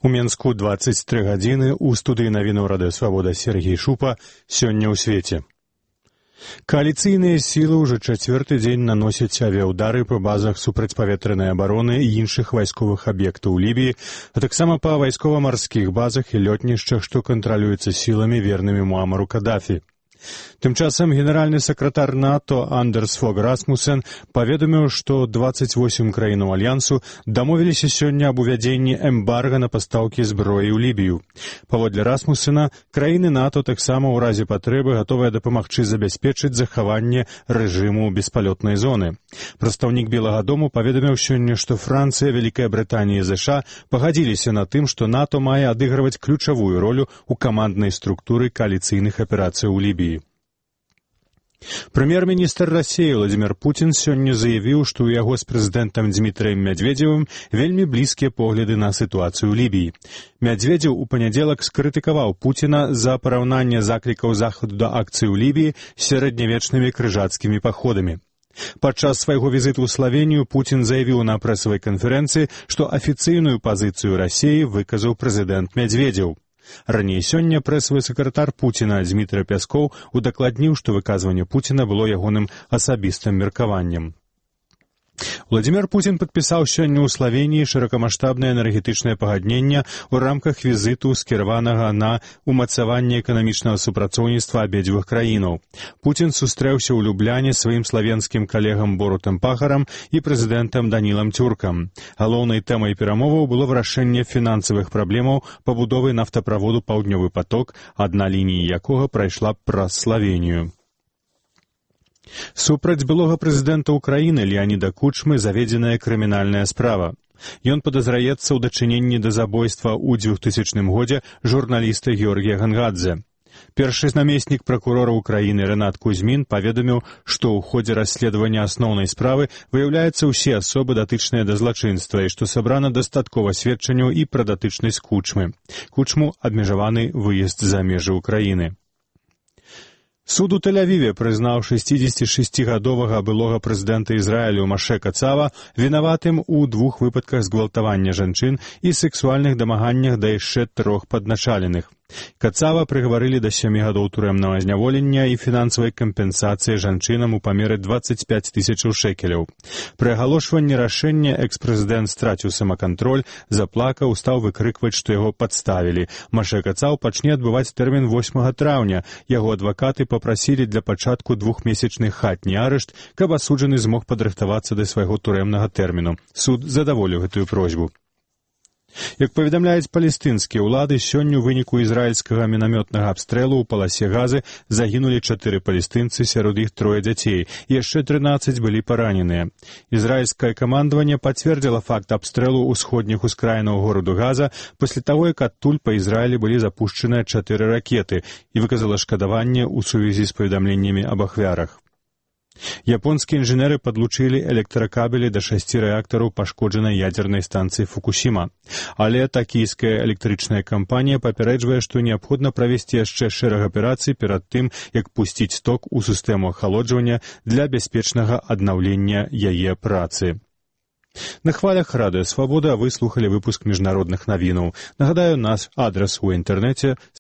У Менску 23 гадзіны, у студыі навінаў Радыё Свабода Сергей Шупа. Сёння ў свеце. Кааліцыйныя сілы ўжо чацвёрты дзень наносяць авіяўдары па базах супрацьпаветранай абароны і іншых вайсковых аб'ектаў у Лібіі, а таксама па вайскова-марскіх базах і лётнішчах, што кантралююцца сіламі, вернымі Муамару Кадафі. Тым часам генеральны сакратар НАТО Андерс Фог Расмуссен паведаміў, што 28 краінаў Альянсу дамовіліся сёння аб увядзенні эмбарга на пастаўкі зброі ў Лібію. Паводле Расмуссена, краіны НАТО таксама ў разе патрэбы гатовыя дапамагчы забяспечыць захаванне рэжыму беспалётнай зоны. Прадстаўнік Белага дому паведаміў сёння, што Францыя, Вялікая Брытанія і ЗША пагадзіліся на тым, што НАТО мае адыгрываць ключавую ролю ў каманднай структуры кааліцыйных аперацый у Лібіі. Прэм'ер-міністр Расіі Владзімір Пуцін сёння заявіў, што ў яго з прэзідэнтам Дзмітрыем Мядзведзевым вельмі блізкія погляды на сітуацыю ў Лібіі. Мядзведзеў у панядзелак скрытыкаваў Пуціна за параўнанне заклікаў захаду да акцыі ў Лібіі з сярэднявечнымі крыжацкімі паходамі. Падчас свайго візіту ў Славенію Пуцін заявіў на прэсавай канферэнцыі, што афіцыйную пазіцыю Расіі выказаў прэзідэнт Мядзведзеў. Раней сёння прэсавы сакратар Пуціна Дзмітрый Пяскоў удакладніў, што выказванне Пуціна было ягоным асабістым меркаваннем. Владзімір Пуцін падпісаў сёння ў Славеніі шырокамаштабнае энергетычнае пагадненне ў рамках візіту, скіраванага на умацаванне эканамічнага супрацоўніцтва абедзвюх краінаў. Пуцін сустрэўся ў Любляне сваім славенскім калегам Борутам Пахарам і прэзідэнтам Данілам Цюркам. Галоўнай тэмай перамоваў было вырашэнне фінансавых праблемаў пабудовы нафтаправоду «Паўднёвы поток», адна лінія якога прайшла праз Славенію. Супраць былога прэзідэнта ўкраіны Леаніда Кучмы заведзеная крымінальная справа. Ён падазраецца ў дачыненні да забойства ў 2000 годзе журналіста Георгія Гангадзе. Першы намеснік пракурора ўкраіны Рэнат Кузьмін паведаміў, што ў ходзе расследавання асноўнай справы выяўляюцца ўсе асобы, датычныя да злачынства, і што сабрана дастаткова сведчанняў і пра датычнасць Кучмы. Кучму абмежаваны выезд за межы ўкраіны. Суд у Тель-Авіве прызнаў 66-гадовага былога прэзідэнта Ізраілю Маше Кацава вінаватым у 2 выпадках згвалтавання жанчын і сексуальных дамаганнях да яшчэ 3 падначаленых. Кацава прыгаварылі да 7 гадоў турэмнага зняволення і фінансавай кампенсацыі жанчынам у памеры 25 000 шекеляў. Пры агалошванні рашэння экс-прэзідэнт страціў самакантроль, заплакаў, стаў выкрыкваць, што яго падставілі. Маше Кацаў пачне адбываць тэрмін 8 траўня. Яго адвакаты папрасілі для пачатку 2-месячны хатні арышт, каб асуджаны змог падрыхтавацца да свайго турэмнага тэрміну. Суд задаволіў гэтую просьбу. Як паведамляюць палестынскія ўлады, сёння ў выніку ізраільскага мінамётнага абстрэлу ў паласе Газы загінулі 4 палестынцы, сярод іх 3 дзяцей, і яшчэ 13 былі параненыя. Ізраільскае камандаванне пацвердзіла факт абстрэлу ўсходніх ускраінаў гораду Газа пасля таго, як адтуль па Ізраілі былі запушчаныя 4 ракеты, і выказала шкадаванне ў сувязі з паведамленнямі аб ахвярах. Японскія інжынеры падлучылі электракабелі да 6 рэактараў пашкоджанай ядзернай станцыі Фукусіма. Але такійская электрычная кампанія папярэджвае, што неабходна правесці яшчэ шэраг аперацый перад тым, як пусціць ток у сістэму ахалоджвання для бяспечнага аднаўлення яе працы. На хвалях Радыё Свабода вы слухалі выпуск міжнародных навінаў. Нагадаю, наш адрас у інтэрнэце